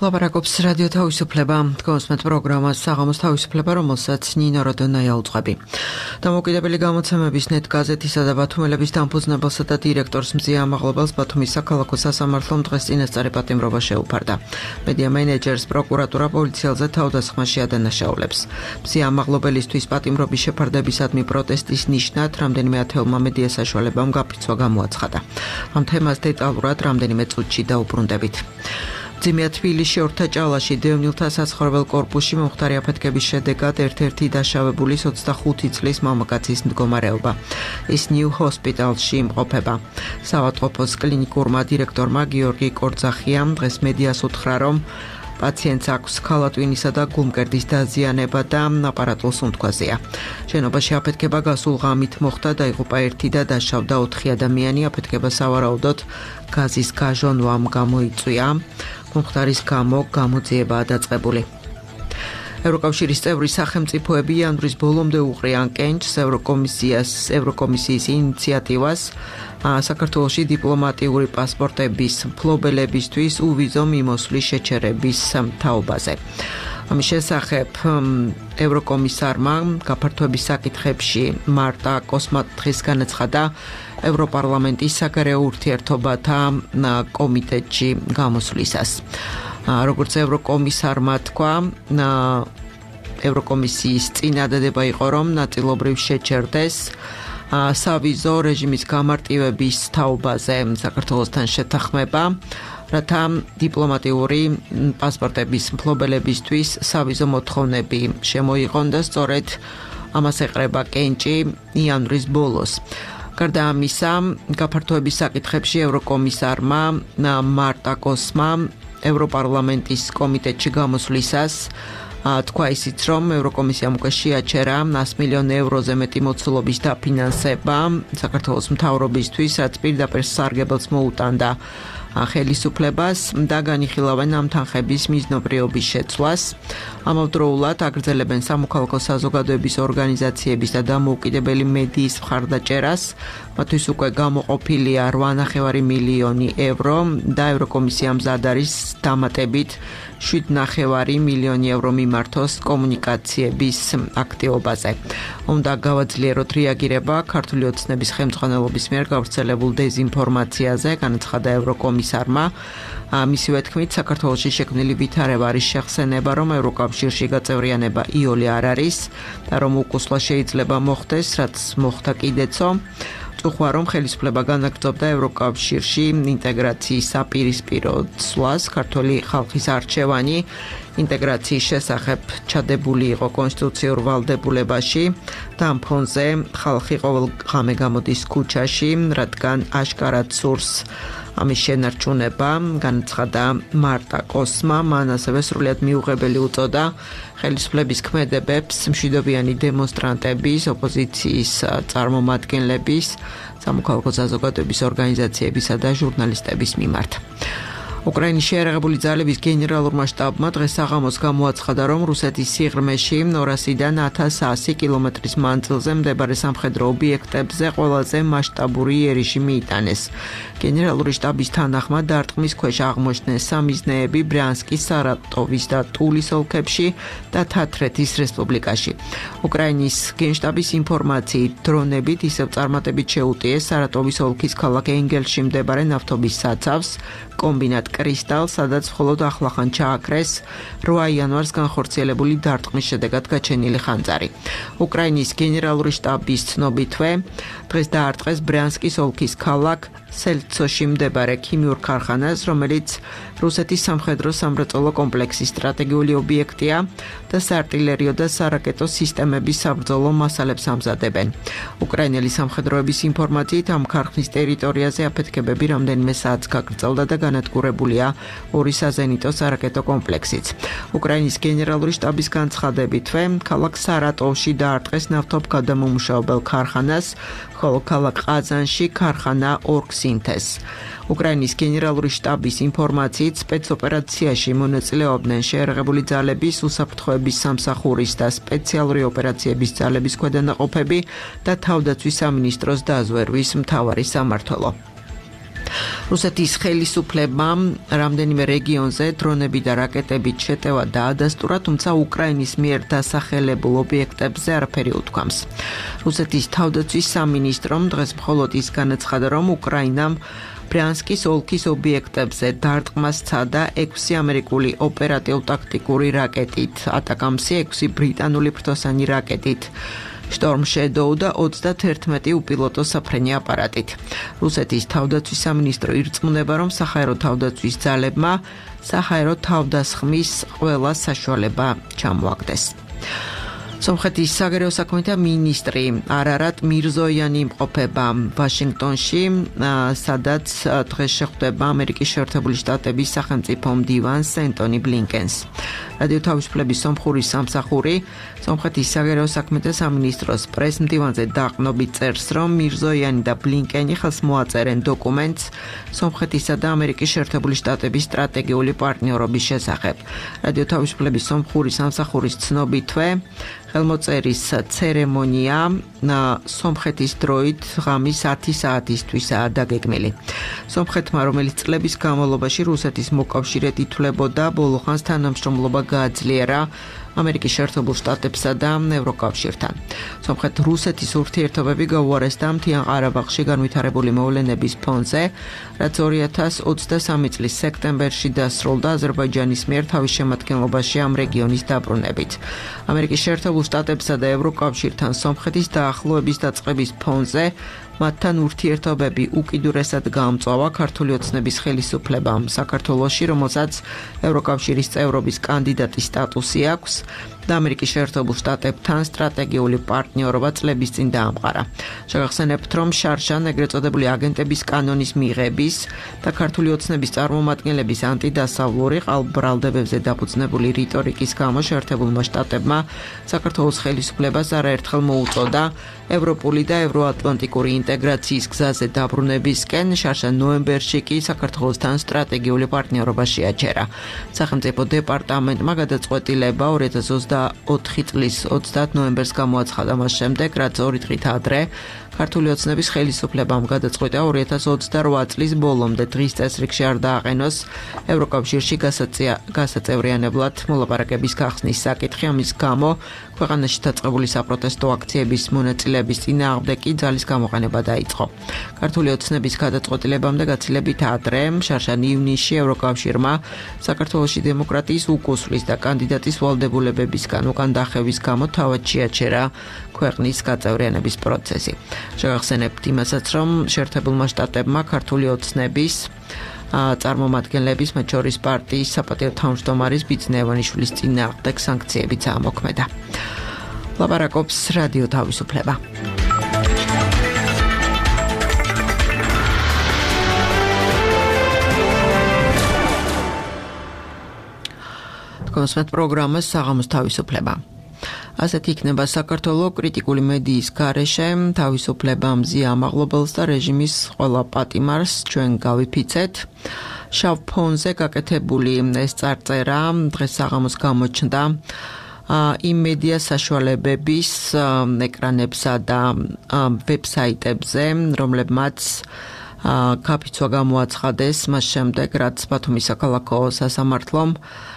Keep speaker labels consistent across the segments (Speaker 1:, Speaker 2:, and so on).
Speaker 1: ლაპარაკობს რადიო თავისუფლება, თქვენსმეთ პროგრამას საღამოს თავისუფლება, რომელსაც ნინო როდონაია უძღვები. დამოუკიდებელი გამოცემების ნეტ გაზეთისა და ბათუმელების დამფუძნებელსა და დირექტორს მზია ამაღლობელს ბათუმის საქალაქო სასამართლომ დღეს წინასწარი პატიმრობა შეუფარდა. მედია მენეჯერს პროკურატურა პოლიციელზე თავდასხმაში ადანაშაულებს. მზია ამაღლობელისთვის პატიმრობის შეფარდებისადმი პროტესტის ნიშნად რამდენიმე ათეულმა მედია საშუალებამ გაფრთხილება გამოაცხადა. ამ თემას დეტალურად რამდენიმე წუთში დაუბრუნდებით. ძიმეა თბილისში ორთაჭალაში დევნილთა საცხოვრებელ კორპუსში მომხდარი აფეთქების შედეგად ერთ-ერთი დაშავებული 25 წლის მამაკაცის მდგომარეობა. ის ნიუ ჰოსპიტალში იმყოფება. საავადმყოფოს კლინიკურმა დირექტორმა გიორგი კორძახიამ დღეს მედიას უთხრა, რომ პაციენტს აქვს ქალატვინისა და გულმკერდის დაზიანება და აპარატულ სუნთქვაზეა. შენობაში აფეთქება გასულ ღამით მოხდა, დაიღუპა ერთი და დაშავდა 4 ადამიანი. აფეთქება სავარაუდოდ გაზის გაჟონვამ გამოიწვია. მომხდარის გამო გამოძიებაა დაწყებული. ევროკავშირის წევრი სახელმწიფოები იანვრის ბოლომდე უყრიან კენჭს ევროკომისიის ინიციატივას საქართველოში დიპლომატიური პასპორტების მფლობელებისთვის უვიზო მიმოსვლის შეჩერების თაობაზე. ამის შესახებ ევროკომისარმა გაფართოების საკითხებში მარტა კოსმა დღეს განაცხადა ევროპარლამენტის საგარეო ურთიერთობათა კომიტეტში გამოსვლისას. როგორც ევროკომისარმა თქვა, ევროკომისიის წინადადება იყო, რომ ნაწილობრივ შეჩერდეს სავიზო რეჟიმის გამარტივების თაობაზე საქართველოსთან შეთანხმება, რათა დიპლომატიური პასპორტების მფლობელებისთვის სავიზო მოთხოვნები შემოიღონ და სწორედ ამას ეყრება კენჭი იანვრის ბოლოს. გარდა ამისა, გაფართოების საკითხებში ევროკომისარმა მარტა კოსმა ევროპარლამენტის კომიტეტში გამოსვლისას თქვა ისიც, რომ ევროკომისიამ უკვე შეაჩერა 100 მილიონ ევროზე მეტი მოცულობის დაფინანსება საქართველოს მთავრობისთვის, რაც პირდაპირ სარგებელს მოუტანდა ხელისუფლებას და განიხილავენ ამ თანხების მიზნობრიობის შეცვლას. ამავდროულად აგრძელებენ სამოქალაქო საზოგადოების ორგანიზაციების და დამოუკიდებელი მედიის მხარდაჭერას. მათთვის უკვე გამოყოფილია 8,5 მილიონი евро და ევროკომისია მზად არის დამატებით 7,5 მილიონი евро მიმართოს კომუნიკაციების აქტივობაზე. უნდა გავაძლიეროთ რეაგირება ქართული ოცნების ხელმძღვანელობის მიერ გავრცელებულ დეზინფორმაციაზე, განაცხადა ევროკომისარმა. მისივე თქმით, საქართველოში შექმნილი ვითარება არის შეხსენება, რომ ევროკავშირში გაწევრიანება იოლი არ არის და რომ უკუსლა შეიძლება მოხდეს, რაც მოხდა კიდეცო. უხვა, რომ ხელისუფლება განაგრძობდა ევროკავშირში ინტეგრაციის საპირისპირო ცვლას, ქართული ხალხის არჩევანი ინტეგრაციის შესახებ ჩადებული იყო კონსტიტუციურ ვალდებულებაში და ამ ფონზე ხალხი ყოველ ღამე გამოდის ქუჩაში, რადგან აშკარად სურს ამის შენარჩუნება, განაცხადა მარტა კოსმა. მან ასევე სრულიად მიუღებელი უწოდა ხელისუფლების ქმედებებს მშვიდობიანი დემონსტრანტების, ოპოზიციის წარმომადგენლების, სამოქალაქო საზოგადოების ორგანიზაციებისა და ჟურნალისტების მიმართ. უკრაინის შეიარაღებული ძალების გენერალურმა შტაბმა დღეს საღამოს გამოაცხადა, რომ რუსეთის სიღრმეში 200-დან 1100 კილომეტრის მანძილზე მდებარე სამხედრო ობიექტებზე ყველაზე მასშტაბური იერიში მიიტანეს. გენერალური შტაბის თანახმად დარტყმის ქვეშ აღმოჩნდნენ სამიზნეები ბრიანსკის, სარატოვის და ტულის ოლქებში და თათრეთის რესპუბლიკაში. უკრაინის გენშტაბის ინფორმაციით, დრონებით ისევ წარმატებით შეუტიეს სარატოვის ოლქის ქალაქ ენგელში მდებარე ნავთობის საცავს, კომბინატ კრისტალ, სადაც მხოლოდ ახლახან ჩააქრეს 8 იანვარს განხორციელებული დარტყმის შედეგად გაჩენილი ხანძარი. უკრაინის გენერალური შტაბის ცნობითვე, დღეს დაარტყეს ბრიანსკის ოლქის ქალაქ სელცოში მდებარე ქიმიურ ქარხანას, რომელიც რუსეთის სამხედრო სამრეწველო კომპლექსის სტრატეგიული ობიექტია და საარტილერიო და სარაკეტო სისტემების საბრძოლო მასალებს ამზადებენ. უკრაინელი სამხედროების ინფორმაციით, ამ ქარხნის ტერიტორიაზე აფეთქებები რამდენიმე საათს გაგრძელდა და განადგურებულია 2 საზენიტო სარაკეტო კომპლექსიც. უკრაინის გენერალური შტაბის განცხადებითვე, ქალაქ სარატოვში დაარტყეს ნავთობგადამამუშავებელ ქარხანას, ხოლო ქალაქ ყაზანში ქარხანა ორგსინთეს. უკრაინის გენერალური შტაბის ინფორმაციით, სპეცოპერაციაში მონაწილეობდნენ შეიარაღებული ძალების, უსაფრთხოების სამსახურის და სპეციალური ოპერაციების ძალების ქვედანაყოფები და თავდაცვის სამინისტროს დაზვერვის მთავარი სამმართველო. რუსეთის ხელისუფლებამ რამდენიმე რეგიონზე დრონები და რაკეტებით შეტევა დაადასტურა, თუმცა უკრაინის მიერ დასახელებულ ობიექტებზე არაფერი უთქვამს. რუსეთის თავდაცვის სამინისტრომ დღეს მხოლოდ ის განაცხადა, რომ უკრაინამ ბრიანსკის ოლქის ობიექტებზე დარტყმას სცადა 6 ამერიკული ოპერატიულ-ტაქტიკური რაკეტით, ატაკამსი 6 ბრიტანული ფრთოსანი რაკეტით. Storm Shadow და 31 უპილოტო საფრენი აპარატით. რუსეთის თავდაცვის სამინისტრო ირწმუნება, რომ საჰაერო თავდაცვის ძალებმა საჰაერო თავდასხმის ყველა საშუალება ჩამოაგდეს. სომხეთის საგარეო საქმეთა მინისტრი არარატ მირზოიანი იმყოფება ვაშინგტონში, სადაც დღეს შეხვდება ამერიკის შეერთებული შტატების სახელმწიფო მდივანს ენტონი ბლინკენს. რადიო თავისუფლების სომხური სამსახური სომხეთის საგარეო საქმეთა სამინისტროს პრეს-მდივანზე დაყრდნობით წერს, რომ მირზოიანი და ბლინკენი ხელს მოაწერენ დოკუმენტს სომხეთისა და ამერიკის შეერთებული შტატების სტრატეგიული პარტნიორობის შესახებ. რადიო თავისუფლების სომხური სამსახურის ცნობითვე ხელმოწერის ცერემონია სომხეთის დროით ღამის 10 საათისთვისაა დაგეგმილი. სომხეთმა, რომელიც წლების განმავლობაში რუსეთის მოკავშირედ ითვლებოდა, ბოლო ხანს თანამშრომლობა გააძლიერა ამერიკის შეერთებულ შტატებსა და ევროკავშირთან. სომხეთ-რუსეთის ურთიერთობები გაუარესდა მთიან ყარაბაღში განვითარებული მოვლენების ფონზე, რაც 2023 წლის სექტემბერში დასრულდა აზერბაიჯანის მიერ თავის შემადგენლობაში ამ რეგიონის დაბრუნებით. ამერიკის შეერთებულ შტატებსა და ევროკავშირთან სომხეთის დაახლოების დაწყების ფონზე მათთან ურთიერთობები უკიდურესად გაამწვავა ქართული ოცნების ხელისუფლებამ საქართველოში, რომელსაც ევროკავშირის წევრობის კანდიდატის სტატუსი აქვს და ამერიკის შეერთებულ შტატებთან სტრატეგიული პარტნიორობა წლების წინ დაამყარა. შეგახსენებთ, რომ შარშან ეგრეთ წოდებული აგენტების კანონის მიღების და ქართული ოცნების წარმომადგენლების ანტიდასავლური ყალბბრალდებებზე დაფუძნებული რიტორიკის გამო შეერთებულმა შტატებმა საქართველოს ხელისუფლებას არაერთხელ მოუწოდა ევროპული და ევროატლანტიკური ინტეგრაციის გზაზე დაბრუნებისკენ, შარშან ნოემბერში კი საქართველოსთან სტრატეგიული პარტნიორობა შეაჩერა. სახელმწიფო დეპარტამენტმა გადაწყვეტილება 2024 წლის 30 ნოემბერს გამოაცხადა მას შემდეგ, რაც 2 დღით ადრე ქართული ოცნების ხელისუფლებამ გადაწყვიტა 2028 წლის ბოლომდე დღის წესრიგში არ დააყენოს ევროკავშირში გასაწევრიანებლად მოლაპარაკების გახსნის საკითხი. ამის გამო ქვეყანაში დაწყებული საპროტესტო აქციების მონაწილეების წინააღმდეგ კი ძალის გამოყენება დაიწყო. ქართული ოცნების გადაწყვეტილებამდე გაცილებით ადრე, შარშან ივნისში ევროკავშირმა საქართველოში დემოკრატიის უკუსვლის და კანდიდატის ვალდებულებებისგან უკან დახევის გამო თავად შეაჩერა ქვეყნის გაწევრიანების პროცესი. შეგახსენებთ იმასაც, რომ შეერთებულმა შტატებმა ქართული ოცნების წარმომადგენლების, მათ შორის პარტიის საპატიო თავმჯდომარის ბიძინა ივანიშვილის წინააღმდეგ სანქციებიც ამოქმედა. ლაპარაკობს რადიო თავისუფლება. კონსმეთ პროგრამას საღამოს თავისუფლება. ასეთი იქნება საქართველოს კრიტიკული მედიის გარეშე თავისუფლება მზია ამაღლობელს და რეჟიმის ყველა პატიმარს ჩვენ გავიფიცეთ. შავ ფონზე გაკეთებული ეს წარწერა დღეს საღამოს გამოჩნდა იმ მედია საშუალებების ეკრანებსა და ვებსაიტებზე, რომლებმაც კაფიცვა გამოაცხადეს მას შემდეგ, რაც ბათუმის საქალაქო სასამართლომ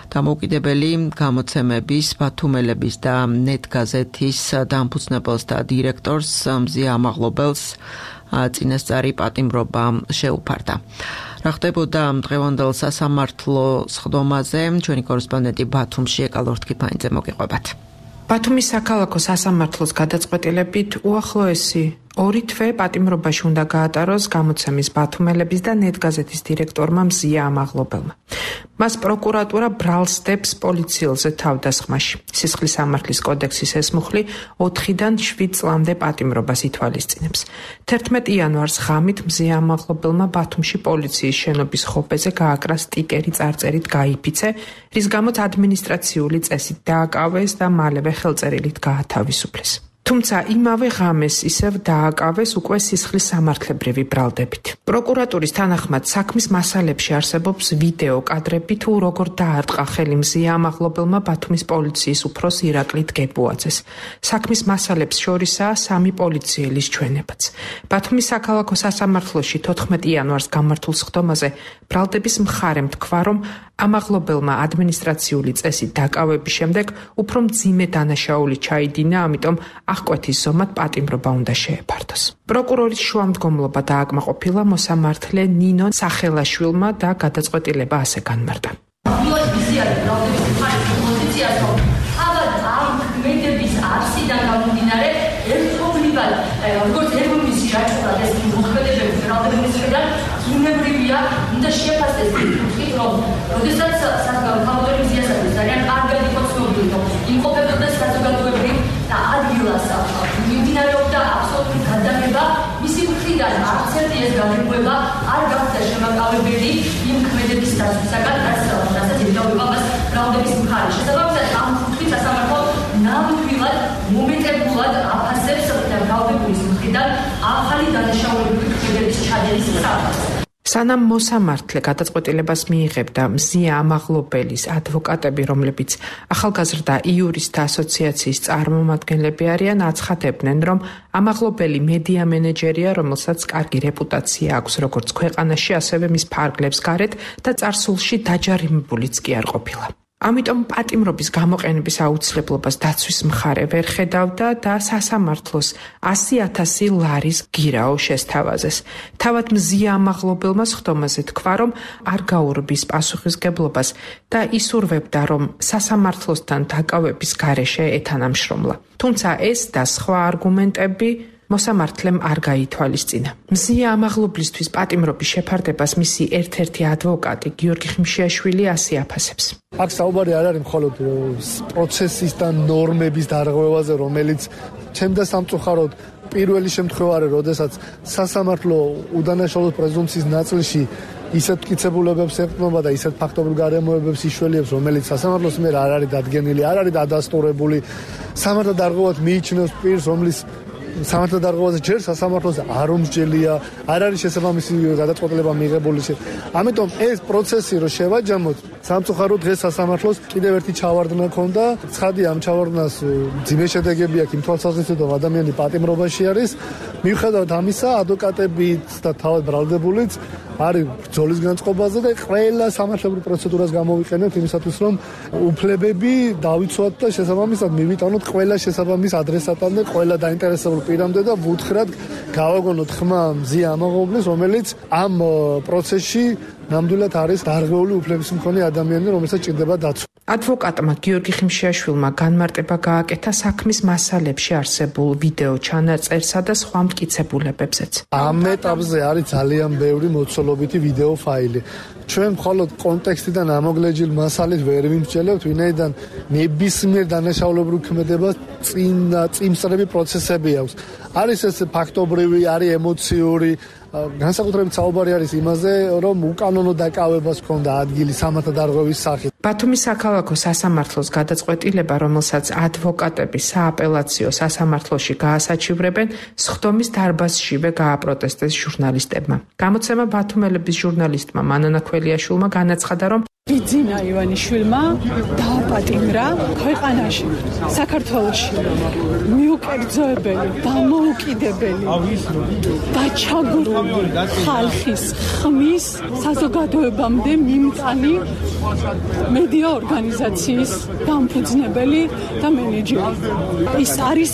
Speaker 1: დამოუკიდებელი გამოცემების ბათუმელების და ნეტ გაზეთის დამფუძნებელს და დირექტორს მზია ამაღლობელს წინასწარი პატიმრობა შეუფარდა. რა ხდებოდა დღევანდელ სასამართლოს ხდომაზე, ჩვენი კორესპონდენტი ბათუმში ეკალორ თქიფანიძე მოგიყვებათ.
Speaker 2: ბათუმის საქალაქო სასამართლოს გადაწყვეტილებით უახლოესი 2 თვე პატიმრობაში უნდა გაატაროს გამოცემის ბათუმელების და ნეტგაზეთის დირექტორმა მზია ამაღლობელმა. მას პროკურატურა ბრალს დებს პოლიციელზე თავდასხმაში. სისხლის სამართლის კოდექსის ეს მუხლი 4-დან 7 წლამდე პატიმრობას ითვალისწინებს. 11 იანვარს ღამით მზია ამაღლობელმა ბათუმში პოლიციის შენობის ხობეზე გააკრა სტიკერი წარწერით გაიფიცე, რის გამოც ადმინისტრაციული წესით დააკავეს და მალევე ხელწერილით გაათავისუფლეს. თუმცა იმავე ღამეს ისევ დააკავეს უკვე სისხლის სამართლებრივი ბრალდებით. პროკურატურის თანახმად საქმის მასალებში არსებობს ვიდეო კადრები თუ როგორ დაარტყა ხელი მზია ამაღლობელმა ბათუმის პოლიციის უფროს ირაკლი დგებუაძეს. საქმის მასალებს შორისაა 3 პოლიციელის ჩვენებაც. ბათუმის საქალაქო სასამართლოში 14 იანვარს გამართულ სხდომაზე ბრალდების მხარემ თქვა, რომ ამაღლობელმა ადმინისტრაციული წესით დაკავების შემდეგ უფრო მძიმე დანაშაული ჩაიდინა, ამიტომ აღკვეთის ზომად პატიმრობა უნდა შეეფართოს. პროკურორის შუამდგომლობა დააკმაყოფილა მოსამართლე ნინო სახელაშვილმა და გადაწყვეტილება ასე განმარტა.
Speaker 3: უნდა შეფასდეს თვითონ რომ როდესაც საქართველოს მიზიასაც ძალიან კარგად იყო ცნობილი რომ იმყოფებოდა საზოგადოებრივ და ადგილას მიმდინარეობდა აბსოლუტური გადაღება მისი მხრიდან არც ერთი ეს გადაღება არ გახდა შემაკავებელი იმ ქმედების დასაცაგად რასაც ედავება მას ბრალდების მხარე შესაბამისად ამ მხრით სასამართლო ნამდვილად მომეტებულად აფასებს ბრალდების მხრიდან ახალი დანაშაულებრივი ქმედების ჩადენის საფრთხეს.
Speaker 2: სანამ მოსამართლე გადაწყვეტილებას მიიღებდა, მზია ამაღლობელის ადვოკატები, რომლებიც ახალგაზრდა იურისტთა ასოციაციის წარმომადგენლები არიან, აცხადებდნენ, რომ ამაღლობელი მედია მენეჯერია, რომელსაც კარგი რეპუტაცია აქვს როგორც ქვეყანაში, ასევე მის ფარგლებს გარეთ და წარსულში დაჯარიმებულიც კი არ ყოფილა. ამიტომ პატიმრობის გამოყენების აუცილებლობას დაცვის მხარე ვერ ხედავდა და სასამართლოს 100,000 ლარის გირაო შესთავაზეს. თავად მზია ამაღლობელმა სხდომაზე თქვა, რომ არ გაურბის პასუხისგებლობას და ისურვებდა, რომ სასამართლოსთან დაკავების გარეშე ეთანამშრომლა. თუმცა ეს და სხვა არგუმენტები მოსამართლემ არ გაითვალისწინა. მზია ამაღლობლისთვის პატიმრობის შეფარდებას მისი ერთ-ერთი ადვოკატი გიორგი ხიმშიაშვილი ასე აფასებს.
Speaker 4: აქ საუბარი არ არის მხოლოდ პროცესის და ნორმების დარღვევაზე, რომელიც ჩემდა სამწუხაროდ პირველი შემთხვევა არის, როდესაც სასამართლო უდანაშაულობის პრეზუმპციის ნაწილში ისეთ მტკიცებულებებს ეყრდნობა და ისეთ ფაქტობრივ გარემოებებს იშველიებს, რომელიც სასამართლოს მიერ არ არის დადგენილი, არ არის დადასტურებული. სამართალ დარღვევად მიიჩნევს პირს, რომლის სამართალ დარღვევაზე ჯერ სასამართლოს არ უმსჯელია, არ არის შესაბამისი გადაწყვეტილება მიღებული. ამიტომ ეს პროცესი რო შევაჯამოთ, სამწუხაროდ დღეს სასამართლოს კიდევ ერთი ჩავარდნა ქონდა. ცხადია, ამ ჩავარდნას ძიმე შედეგები აქვს იმ თვალსაზრისით, რომ ადამიანი პატიმრობაში არის. მიუხედავად ამისა, ადვოკატებიც და თავად ბრალდებულიც არის ბრძოლის განწყობაზე და ყველა სამართლებრივ პროცედურას გამოვიყენებთ იმისათვის, რომ უფლებები დავიცვათ და შესაბამისად მივიტანოთ ყველა შესაბამის ადრესატამდე, ყველა დაინტერესებულ პირამდე და ვუთხრათ გავაგონოთ ხმა მზია ამაღლობლის, რომელიც ამ პროცესში ნამდვილად არის დარღვეული უფლების მქონე ადამიანი, რომელსაც ჭირდება დაცვა.
Speaker 2: ადვოკატმა გიორგი ხიმშიაშვილმა განმარტება გააკეთა საქმის მასალებში არსებულ ვიდეო ჩანაწერსა და სხვა მტკიცებულებებზეც.
Speaker 4: ამ ეტაპზე არის ძალიან ბევრი მოცულობითი ვიდეო ფაილი. ჩვენ მხოლოდ კონტექსტიდან ამოგლეჯილ მასალით ვერ ვიმსჯელებთ, ვინაიდან ნებისმიერ დანაშაულებრივ ქმედებას წინსწრები პროცესები აქვს. არის ეს ფაქტობრივი, არის ემოციური, განსაკუთრებით საუბარი არის იმაზე, რომ უკანონო დაკავებას ჰქონდა ადგილი სამართალ დარღვევის სახით.
Speaker 2: ბათუმის საქალაქო სასამართლოს გადაწყვეტილება, რომელსაც ადვოკატები სააპელაციო სასამართლოში გაასაჩივრებენ, სხდომის დარბაზშივე გააპროტესტეს ჟურნალისტებმა. გამოცემა ბათუმელების ჟურნალისტმა მანანა ქველიაშვილმა განაცხადა, რომ
Speaker 5: ბიძინა ივანიშვილმა დააპატიმრა ქვეყანაში, საქართველოში მიუკერძოებელი, დამოუკიდებელი და ჩაგვრული ხალხის ხმის საზოგადოებამდე მიმტანი მედია ორგანიზაციის დამფუძნებელი და მენეჯერი. ის არის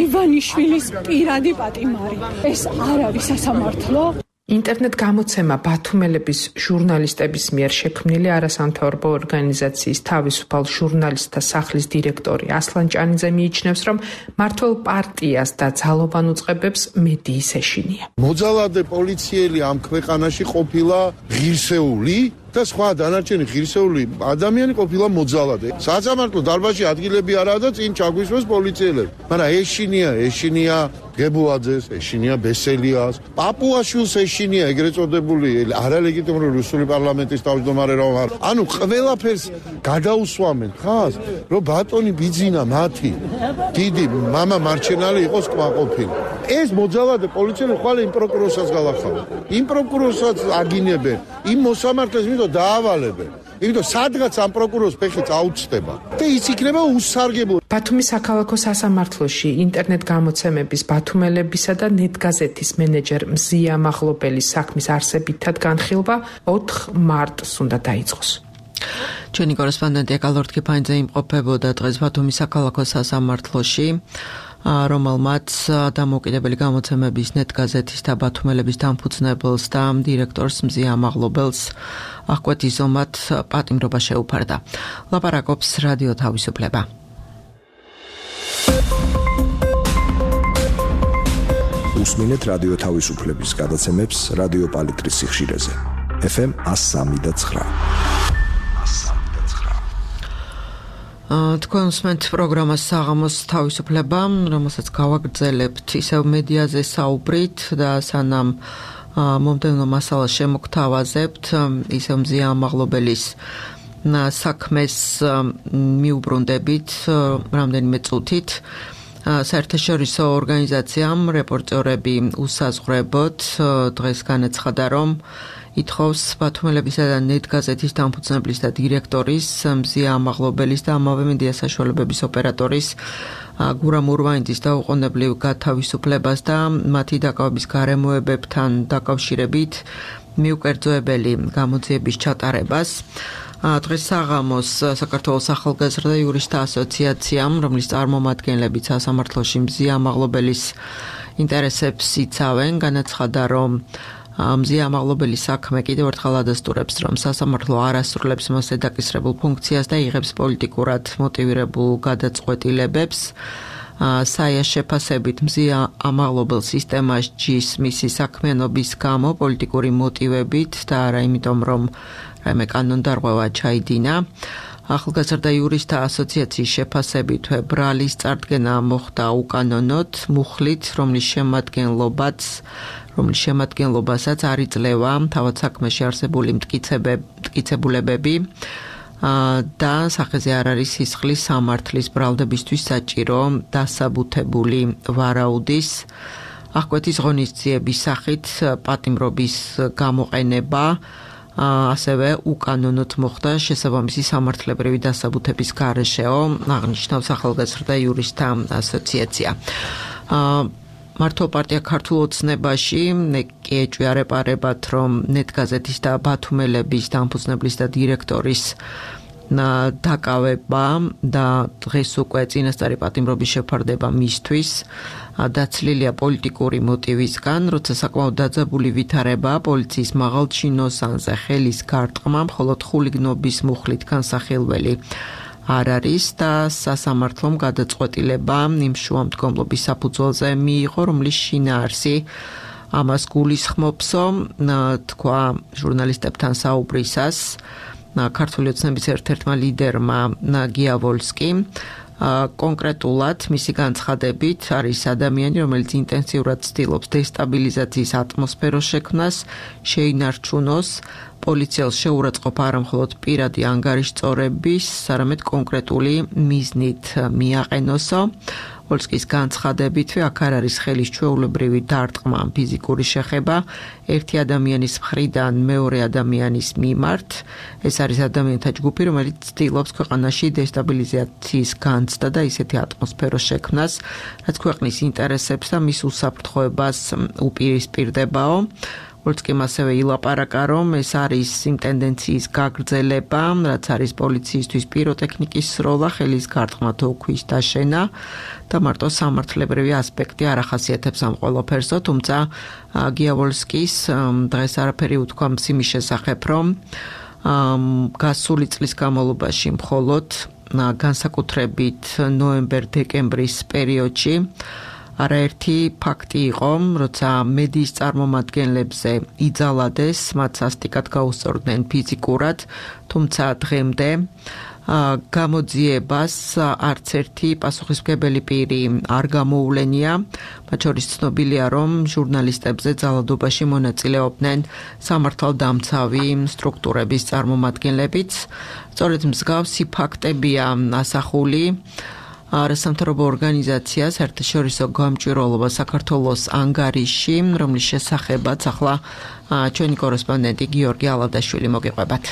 Speaker 5: ივანიშვილის პირადი პატიმარი. ეს არ არის სასამართლო.
Speaker 2: ინტერნეტ გამოცემა ბათუმელების ჟურნალისტების მიერ შექმნილი არასამთავრობო ორგანიზაციის თავისუფალ ჟურნალისტთა სახლის დირექტორი ასლან ჭანიძე მიიჩნევს, რომ მართველ პარტიას და ძალოვან უწყებებს მედიის ეშინია.
Speaker 6: მოძალადე პოლიციელი ამ ქვეყანაში ყოფილა ღირსეული და სხვა დანარჩენი ღირსეული ადამიანი ყოფილა მოძალადე. სასამართლო დარბაზში ადგილები არაა და წინ ჩაგვისვეს პოლიციელები. მაგრამ ეშინია გებუაძეს, ეშინია ბესელიას, პაპუაშვილს ეშინია ეგრეთ წოდებული არალეგიტიმური რუსული პარლამენტის თავმჯდომარე რომ არ. ანუ ყველაფერს გადაუსვამენ ხას, რომ ბატონი ბიძინა მათი დიდი მამა მარჩენალი იყოს კმაყოფილი. ეს მოძალადე პოლიციელი ხვალ იმ პროკურორსაც გალახავენ. იმ პროკურორსაც აგინებენ, იმ მოსამართლეს მითო დაავალებენ. იმიტომ სადღაც ამ პროკურორს ფეხი წაუწდება და ის იქნება უსარგებლო.
Speaker 2: ბათუმის საქალაქო სასამართლოში ინტერნეტ გამოცემების ბათუმელებისა და ნეტგაზეთის მენეჯერ მზია მაღლობელის საქმის არსებითად განხილვა 4 მარტს უნდა დაიწყოს.
Speaker 1: ჩვენი კორესპონდენტი ეკალორდ კიფაინძე იმყოფებოდა დღეს ბათუმის საქალაქო სასამართლოში, რომელმაც დამოუკიდებელი გამოცემების ნეტგაზეთის და ბათუმელების დამფუძნებელს და დირექტორს მზია მაღლობელს აღკვეთის ომად პატიმრობა შეუფარდა. ლაპარაკობს რადიო თავისუფლება.
Speaker 7: უსმინეთ რადიო თავისუფლების გადაცემებს რადიო პალიტრის სიხშირეზე. FM 103.9.
Speaker 1: თქვენ უსმენთ პროგრამას საღამოს თავისუფლება, რომელსაც გავაგრძელებთ ისევ მედიაზე საუბრით და სანამ მომდევნო მასალას შემოგთავაზებთ, ისევ მზია მაღლობელის საქმეს მიუბრუნდებით რამდენიმე წუთით. საერთაშორისო ორგანიზაციამ რეპორტერები უსაზღვრებოდ დღეს განაცხადა, რომ ითხოვს ბათუმელებისა და ნეტგაზეთის დამფუძნებლის და დირექტორის მზია მაღლობელის და ამავე მედია საშუალებების ოპერატორის გურამ ურვაინძის დაუყოვნებლივ გათავისუფლებას და მათი დაკავების გარემოებებთან დაკავშირებით მიუკერძოებელი გამოძიების ჩატარებას. დღეს საღამოს საქართველოს ახალგაზრდა იურისტთა ასოციაციამ, რომლის წარმომადგენლებიც სასამართლოში მზია მაღლობელის ინტერესებს იცავენ, განაცხადა, რომ მზია მაღლობელის საქმე კიდევ ერთხელ ადასტურებს, რომ სასამართლო არ ასრულებს მასზე დაკისრებულ ფუნქციას და იღებს პოლიტიკურად მოტივირებულ გადაწყვეტილებებს. საიას შეფასებით მზია მაღლობელს სისტემაში მისი საქმიანობის გამო პოლიტიკური მოტივებით და არა იმიტომ, რომ რაიმე კანონდარღვევა ჩაიდინა. ახალგაზრდა იურისტთა ასოციაციის შეფასებით ბრალის წარდგენა მოხდა უკანონოდ, მუხლით, რომლის შემადგენლობასაც არ იძლევა თავად საქმეში არსებული მტკიცებულებები და სახეზე არ არის სისხლის სამართლის ბრალდებისთვის საჭირო დასაბუთებული ვარაუდის აღკვეთის ღონისძიების სახით პატიმრობის გამოყენება ასევე უკანონოდ მოხდა შესაბამისი სამართლებრივი დასაბუთების გარეშეო, აღნიშნავს ახალგაზრდა იურისტთა ასოციაცია. მართლ პარტია ქართულ ოცნებაში კი ეჭვიარეპარებათ, რომ ნეტგაზეთის და ბათუმელების დამფუძნებლის და დირექტორის დაკავება და დღეს უკვე წინასწარი პატიმრობის შეფარდება მისთვის დაცლილია პოლიტიკური მოტივისგან, როცა საკმაოდ დაძაბული ვითარება პოლიციის მაღალჩინოსანზე ხელის გარტყმა მხოლოდ ხულიგნობის მუხლით განსახილველი არ არის და სასამართლომ გადაწყვეტილება იმ შუამდგომლობის საფუძველზე მიიღო, რომლის შინაარსი ამას გულისხმობსო, თქვა ჟურნალისტებთან საუბრისას ქართული ოცნების ერთ-ერთმა ლიდერმა გიავოლსკიმ. კონკრეტულად მისი განცხადებით არის ადამიანი, რომელიც ინტენსიურად ცდილობს დესტაბილიზაციის ატმოსფეროს შექმნას, შეინარჩუნოს პოლიციელს შეურაცხყოფა არა მხოლოდ პირადი ანგარიშწორების, არამედ კონკრეტული მიზნით მიაყენოსო. ვოლსკის განცხადებითვე აქ არ არის ხელის ჩვეულებრივი დარტყმა, ფიზიკური შეხება ერთი ადამიანის მხრიდან მეორე ადამიანის მიმართ. ეს არის ადამიანთა ჯგუფი, რომელიც ცდილობს ქვეყანაში დესტაბილიზაციის განცდა და ისეთი ატმოსფეროს შექმნას, რაც ქვეყნის ინტერესებს და მის უსაფრთხოებას უპირისპირდებაო. ვოლსკიმ ასევე ილაპარაკა, რომ ეს არის იმ ტენდენციის გაგრძელება, რაც არის პოლიციისთვის პიროტექნიკის სროლა, ხელის გარტყმა თუ ქვის დაშენა და მარტო სამართლებრივი ასპექტი არ ახასიათებს ამ ყველაფერსო, თუმცა გიავოლსკის დღეს არაფერი უთქვა იმის შესახებ, რომ გასული წლის განმავლობაში მხოლოდ განსაკუთრებით ნოემბერ-დეკემბრის პერიოდში არაერთი ფაქტი იყო, როცა მედიის წარმომადგენლებზე იძალადეს, მათ სასტიკად გაუსწორდნენ ფიზიკურად, თუმცა დღემდე გამოძიებას არც ერთი პასუხისმგებელი პირი არ გამოუვლენია. მათ შორის ცნობილია, რომ ჟურნალისტებზე ძალადობაში მონაწილეობდნენ სამართალდამცავი სტრუქტურების წარმომადგენლებიც. სწორედ მსგავსი ფაქტებია ასახული არასამთავრობო ორგანიზაცია საერთაშორისო გამჭვირვალობა საქართველოს ანგარიში, რომლის შესახებაც ახლა ჩვენი კორესპონდენტი გიორგი ალადაშვილი მოგიყვებათ.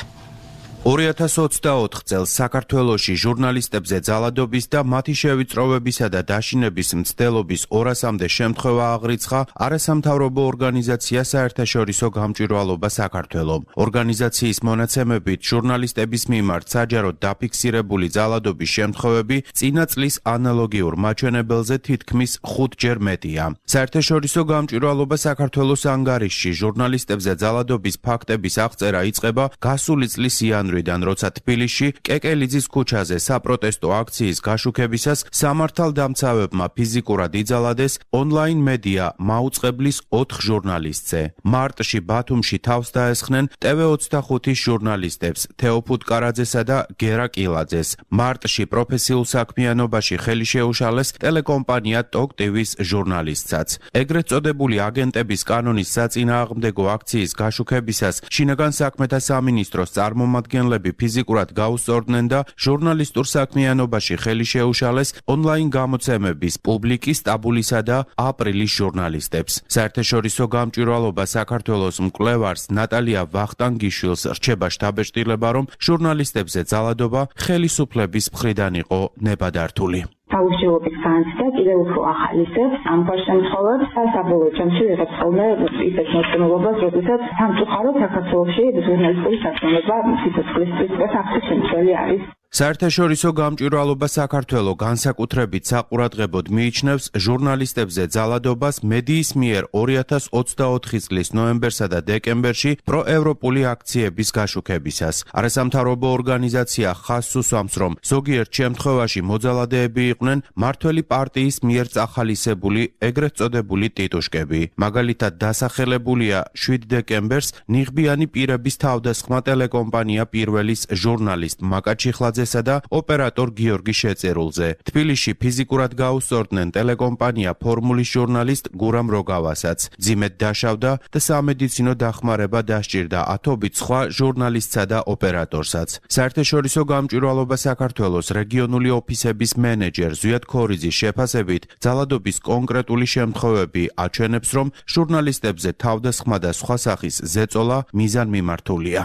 Speaker 8: 2024 წელს საქართველოში ჟურნალისტებზე ძალადობის და მათი შევიწროვებისა და დაშინების მცდელობის 200-მდე შემთხვევა აღრიცხა არასამთავრობო ორგანიზაცია საერთაშორისო გამჭვირვალობა საქართველომ. ორგანიზაციის მონაცემებით ჟურნალისტების მიმართ საჯაროდ დაფიქსირებული ძალადობის შემთხვევები წინა წლის ანალოგიურ მაჩვენებელზე თითქმის 5-ჯერ მეტია. საერთაშორისო გამჭვირვალობა საქართველოს ანგარიშში ჟურნალისტებზე ძალადობის ფაქტების აღწერა იწყება გასული წლის იანვრიდან, როცა თბილისში კეკელიძის ქუჩაზე საპროტესტო აქციის გაშუქებისას სამართალდამცავებმა ფიზიკურად იძალადეს ონლაინ მედია მაუწყებლის 4 ჟურნალისტზე. მარტში ბათუმში თავს დაესხნენ TV25-ის ჟურნალისტებს თეოფუტ კარაძესა და გერა კილაძეს. მარტში პროფესიულ საქმიანობაში ხელი შეუშალეს ტელეკომპანია TOK TV-ის ჟურნალისტსაც. ეგრეთ წოდებული აგენტების კანონის საწინააღმდეგო აქციის გაშუქებისას შინაგან საქმეთა სამინისტროს წარმომადგენლები ფიზიკურად გაუსწორდნენ და ჟურნალისტურ საქმიანობაში ხელი შეუშალეს ონლაინ გამოცემების პუბლიკის, ტაბულისა და აპრილის ჟურნალისტებს. საერთაშორისო გამჭვირვალობა საქართველოს მკვლევარს ნატალია ვახტანგიშვილს რჩება შთაბეჭდილება, რომ ჟურნალისტებზე ძალადობა ხელისუფლების მხრიდან იყო ნებადართული.
Speaker 9: თავისუფლების განცდა კიდევ უფრო ახალისებს ამ შემთხვევებს საბოლოო ჯამში ვიღებს ხოლმე ისეთ მოწმობობას, როდესაც სამწუხაროდ საქართველოში ჟურნალისტური საქმიანობა სიცოცხლის აღწევ შემცველი არის.
Speaker 8: საერთაშორისო გამჭვირვალობა საქართველოს განსაკუთრებით საყურადღებოდ მიიჩნევს ჟურნალისტებზე ძალადობას მედიის მიერ 2024 წლის ნოემბერსა და დეკემბერში პროევროპული აქციების გაშუქებისას. არასამთავრობო ორგანიზაცია ხაზს უსვამს, რომ ზოგიერთ შემთხვევაში მოძალადეები იყვნენ მმართველი პარტიის მიერ წახალისებული ეგრეთ წოდებული ტიტუშკები. მაგალითად დასახელებულია 7 დეკემბერს ნიღბიანი პირების თავდასხმა ტელეკომპანია პირველის ჟურნალისტ მაკაჩიხლაძე და ოპერატორ გიორგი შეწერულზე. თბილისში ფიზიკურად გაუსწორდნენ ტელეკომპანია ფორმულის ჟურნალისტ გურამ როგავასაც. ძიმედ დაშავდა და სამედიცინო დახმარება დასჭირდა ათობით სხვა ჟურნალისტსა და ოპერატორსაც. საერთაშორისო გამჭვირვალობა საქართველოს რეგიონული ოფისების მენეჯერ ზვიად ქორიძის შეფასებით ძალადობის კონკრეტული შემთხვევები აჩვენებს, რომ ჟურნალისტებზე თავდასხმა და სხვა სახის ზეწოლა მიზანმიმართულია.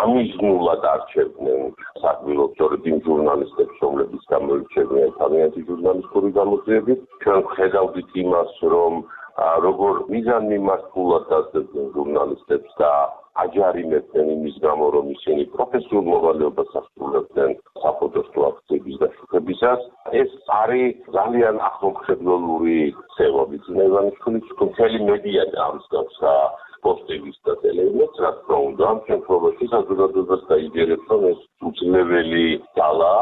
Speaker 10: გამიზნულად არჩევდნენ საქმიანობას სწორედ იმ ჟურნალისტებს, რომლებიც გამოირჩევიან თავიანთი ჟურნალისტური გამოძიებით. ჩვენ ვხედავდით იმას, რომ როგორ მიზანმიმართულად დასდებდნენ ჟურნალისტებს და აჯარიმებდნენ იმის გამო, რომ ისინი პროფესიულ მოვალეობას ასრულებდნენ საპროტესტო აქციების გაშუქებისას. ეს არის ძალიან ახლომხდელური ქცევა. ვიცი ივანიშვილის მთელი მედია ამსგავსა პოსტების და ტელევიზიის რა თქმა უნდა ამ შემთხვევაში საზოგადოებას დაიჯერებს, რომ ეს უძლებელი ძალა,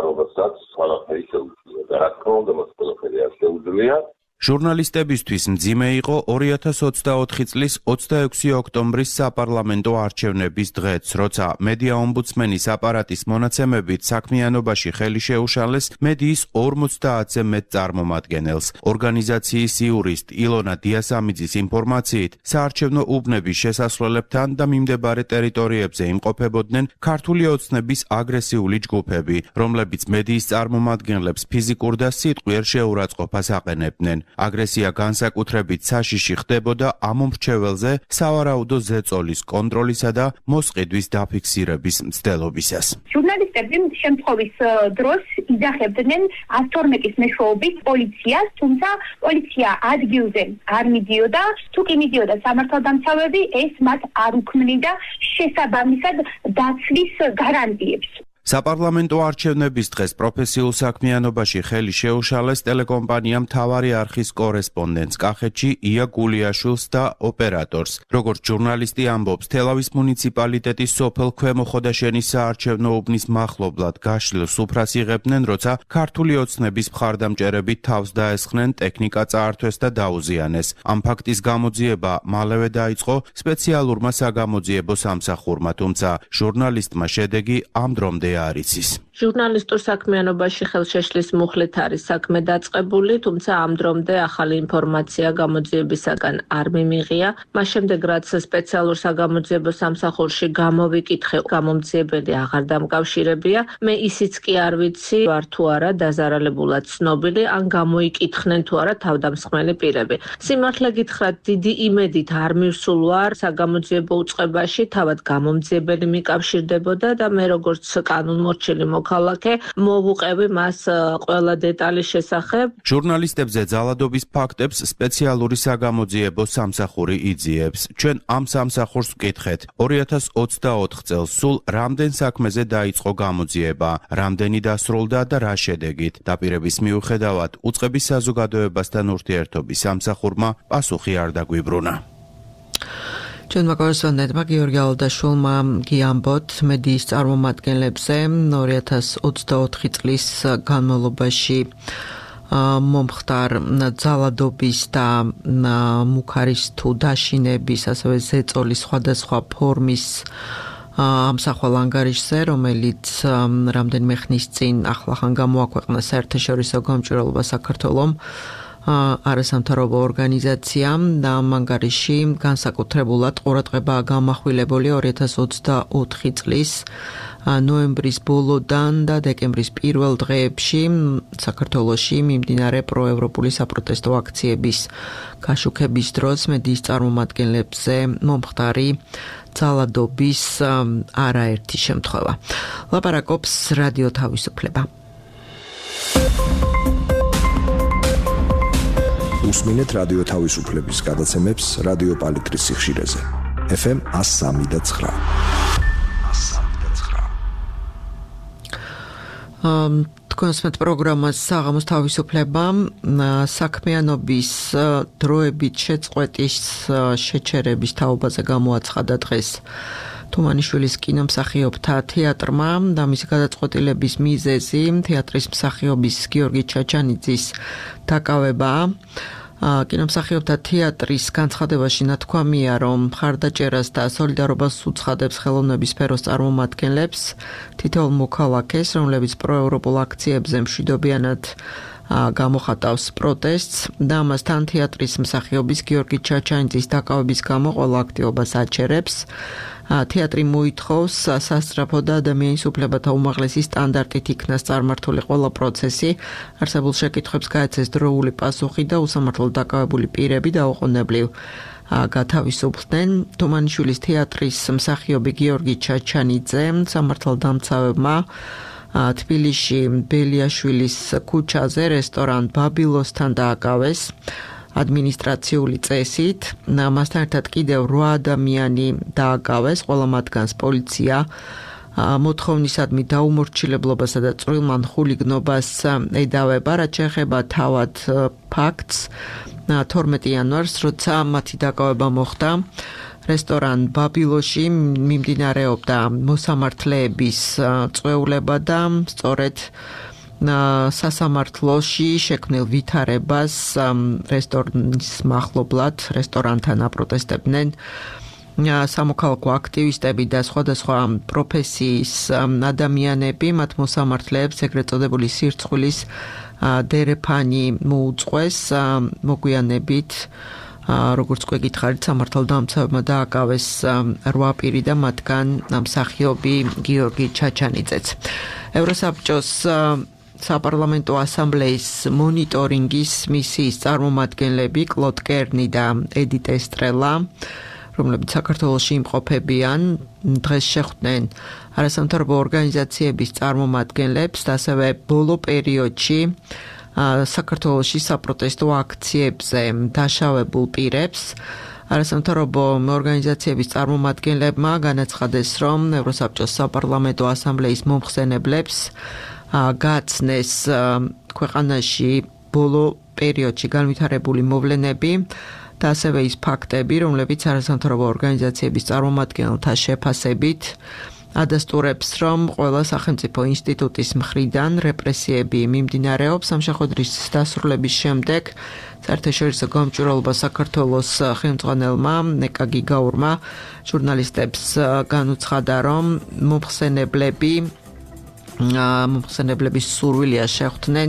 Speaker 10: რომელსაც ყველაფერი შეუძლია და რა თქმა უნდა მას ყველაფერი არ შეუძლია.
Speaker 8: ჟურნალისტებისთვის მძიმე იყო 2024 წლის 26 ოქტომბრის საპარლამენტო არჩევნების დღეც, როცა მედია ომბუდსმენის აპარატის მონაცემებით საქმიანობაში ხელი შეუშალეს მედიის 50-ზე მეტ წარმომადგენელს. ორგანიზაციის იურისტ ილონა დიასამიძის ინფორმაციით, საარჩევნო უბნების შესასვლელებთან და მიმდებარე ტერიტორიებზე იმყოფებოდნენ ქართული ოცნების აგრესიული ჯგუფები, რომლებიც მედიის წარმომადგენლებს ფიზიკურ და სიტყვიერ შეურაცხყოფას აყენებდნენ. აგრესია განსაკუთრებით საშიში ხდებოდა ამ მომრჩეველზე სავარაუდო ზეწოლის კონტროლისა და მოსყიდვის დაფიქსირების მცდელობისას.
Speaker 11: ჟურნალისტები შემთხვევის დროს იძახებდნენ 112-ის მეშვეობით პოლიციას, თუმცა პოლიცია ადგილზე არ მიდიოდა, თუ კი მიდიოდა სამართალდამცავები, ეს მათ არ უქმნიდა შესაბამისად დაცვის გარანტიებს.
Speaker 8: საპარლამენტო არჩევნების დღეს პროფესიულ საქმიანობაში ხელი შეუშალეს ტელეკომპანია მთავარი არხის კორესპონდენტს კახეთში ია გულიაშვილს და ოპერატორს. როგორც ჟურნალისტი ამბობს, თელავის მუნიციპალიტეტის სოფელ ქვემო ხოდაშენის საარჩევნო უბნის მახლობლად გაშლილ სუფრას იღებდნენ, როცა ქართული ოცნების მხარდამჭერები თავს დაესხნენ, ტექნიკა წაართვეს და დაუზიანეს. ამ ფაქტის გამოძიება მალევე დაიწყო სპეციალურმა საგამოძიებო სამსახურმა, თუმცა ჟურნალისტმა შედეგი ამ დრომდე არ იცის.
Speaker 12: ჟურნალისტურ საქმიანობაში ხელშეშლის მუხლით არის საქმე დაწყებული, თუმცა ამ დრომდე ახალი ინფორმაცია გამოძიებისაგან არ მიმიღია. მას შემდეგ, რაც სპეციალურ საგამოძიებო სამსახურში გამოვიკითხე, გამომძიებელი აღარ დამკავშირებია. მე ისიც კი არ ვიცი, ვარ თუ არა დაზარალებულად ცნობილი, ან გამოიკითხნენ თუ არა თავდამსხმელი პირები. სიმართლე გითხრათ, დიდი იმედით არ მივსულ ვარ საგამოძიებო უწყებაში, თავად გამომძიებელი მიკავშირდებოდა და მე როგორც კანონმორჩილი მოქალაქე მოვუყევი მას ყველა დეტალის შესახებ.
Speaker 8: ჟურნალისტებზე ძალადობის ფაქტებს სპეციალური საგამოძიებო სამსახური იძიებს. ჩვენ ამ სამსახურს ვკითხეთ. 2024 წელს სულ რამდენ საქმეზე დაიწყო გამოძიება, რამდენი დასრულდა და რა შედეგით. დაპირების მიუხედავად უწყების საზოგადოებასთან ურთიერთობის სამსახურმა პასუხი არ დაგვიბრუნა.
Speaker 1: ჩვენმა კორესპონდენტმა გიორგი ალდაშვილმა გიამბოთ მედიის წარმომადგენლებზე 2024 წლის განმავლობაში მომხდარ ძალადობის და მუქარის თუ დაშინების, ასევე ზეწოლის სხვადასხვა ფორმის ამსახველ ანგარიშზე, რომელიც რამდენიმე ხნის წინ ახლახან გამოაქვეყნა საერთაშორისო გამჭვირვალობა საქართველომ არასამთავრობო ორგანიზაციამ და ამ ანგარიში განსაკუთრებულად ყურადღებაა გამახვილებული 2024 წლის ნოემბრის ბოლოდან და დეკემბრის პირველ დღეებში საქართველოში მიმდინარე პროევროპული საპროტესტო აქციების გაშუქების დროს მედიის წარმომადგენლებზე მომხდარი ძალადობის არაერთი შემთხვევა. ლაპარაკობს რადიო თავისუფლება.
Speaker 7: უსმინეთ რადიო თავისუფლების გადაცემებს რადიო პალიტრის სიხშირეზე. FM 103.9.
Speaker 1: თქვენსმეთ პროგრამას საღამოს თავისუფლება საქმიანობის დროებით შეწყვეტის შეჩერების თაობაზე გამოაცხადა დღეს თუმანიშვილის კინომსახიობთა თეატრმა და მისი გადაწყვეტილების მიზეზი თეატრის მსახიობის გიორგი ჩაჩანიძის დაკავებაა. კინომსახიობთა თეატრის განცხადებაში ნათქვამია, რომ მხარდაჭერას და სოლიდარობას უცხადებს ხელოვნების სფეროს წარმომადგენლებს, თითოეულ მოქალაქეს, რომლებიც პროევროპულ აქციებზე მშვიდობიანად გამოხატავს პროტესტს და ამასთან თეატრის მსახიობის გიორგი ჩაჩანიძის დაკავების გამო ყველა აქტივობას აჩერებს. თეატრი მოითხოვს სასწრაფო და ადამიანის უფლებათა უმაღლესი სტანდარტით იქნას წარმართული ყველა პროცესი, არსებულ შეკითხვებს გაეცეს დროული პასუხი და უსამართლოდ დაკავებული პირები დაუყოვნებლივ გათავისუფლდნენ. თუმანიშვილის თეატრის მსახიობი გიორგი ჩაჩანიძე სამართალდამცავებმა თბილისში ბელიაშვილის ქუჩაზე რესტორან ბაბილოსთან დააკავეს ადმინისტრაციული წესით. მასთან ერთად კიდევ 8 ადამიანი დააკავეს, ყველა მათგანს პოლიცია მოთხოვნისადმი დაუმორჩილებლობასა და წვრილმან ხულიგნობას ედავება, რაც შეეხება თავად ფაქტს 12 იანვარს, როცა მათი დაკავება მოხდა რესტორან ბაბილოში მიმდინარეობდა მოსამართლეების წვეულება და სწორედ სასამართლოში შექმნილ ვითარებას რესტორნის მახლობლად რესტორანთან აპროტესტებდნენ სამოქალაქო აქტივისტები და სხვადასხვა პროფესიის ადამიანები. მათ მოსამართლეებს ეგრეთ წოდებული სირცხვილის დერეფანი მოუწყვეს. მოგვიანებით როგორც გვეკითხარით, სამართალდამცავებმა დააკავეს 8 პირი და მათგან მსახიობი გიორგი ჩაჩანიძეც. ევროსაბჭოს საპარლამენტო ასამბლეის მონიტორინგის მისიის წარმომადგენლები კლოდ კერნი და ედიტ ესტრელა, რომლებიც საქართველოში იმყოფებიან, დღეს შეხვდნენ არასამთავრობო ორგანიზაციების წარმომადგენლებს და ასევე ბოლო პერიოდში საქართველოში საპროტესტო აქციებზე დაშავებულ პირებს. არასამთავრობო ორგანიზაციების წარმომადგენლებმა განაცხადეს, რომ ევროსაბჭოს საპარლამენტო ასამბლეის მომხსენებლებს გაცნეს ქვეყანაში ბოლო პერიოდში განვითარებული მოვლენები და ასევე ის ფაქტები, რომლებიც არასამთავრობო ორგანიზაციების წარმომადგენელთა შეფასებით ადასტურებს, რომ ყველა სახელმწიფო ინსტიტუტის მხრიდან რეპრესიები მიმდინარეობს სამშაბათის დასრულების შემდეგ. საერთაშორისო გამჭვირვალობა საქართველოს ხელმძღვანელმა ნეკა გიგაურმა ჟურნალისტებს განუცხადა, რომ მომხსენებლების სურვილია შეხვდნენ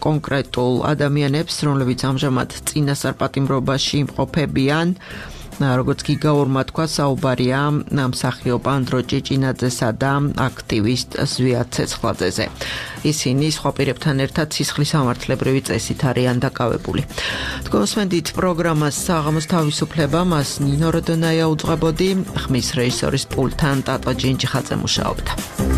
Speaker 1: კონკრეტულ ადამიანებს, რომლებიც ამჟამად წინასწარ პატიმრობაში იმყოფებიან. როგორც გიგაურმა თქვა, საუბარია მსახიობ ანდრო ჭიჭინაძესა და აქტივისტ ზვიად ცეცხლაძეზე. ისინი სხვა პირებთან ერთად სისხლის სამართლებრივი წესით არიან დაკავებული. თქვენსვენდით პროგრამას საღამოს თავისუფლება, მას ნინო როდონაია უძღვებოდი, ხმის რეჟისორის პულტთან ტატო ჯინჯიხაძე მუშაობდა.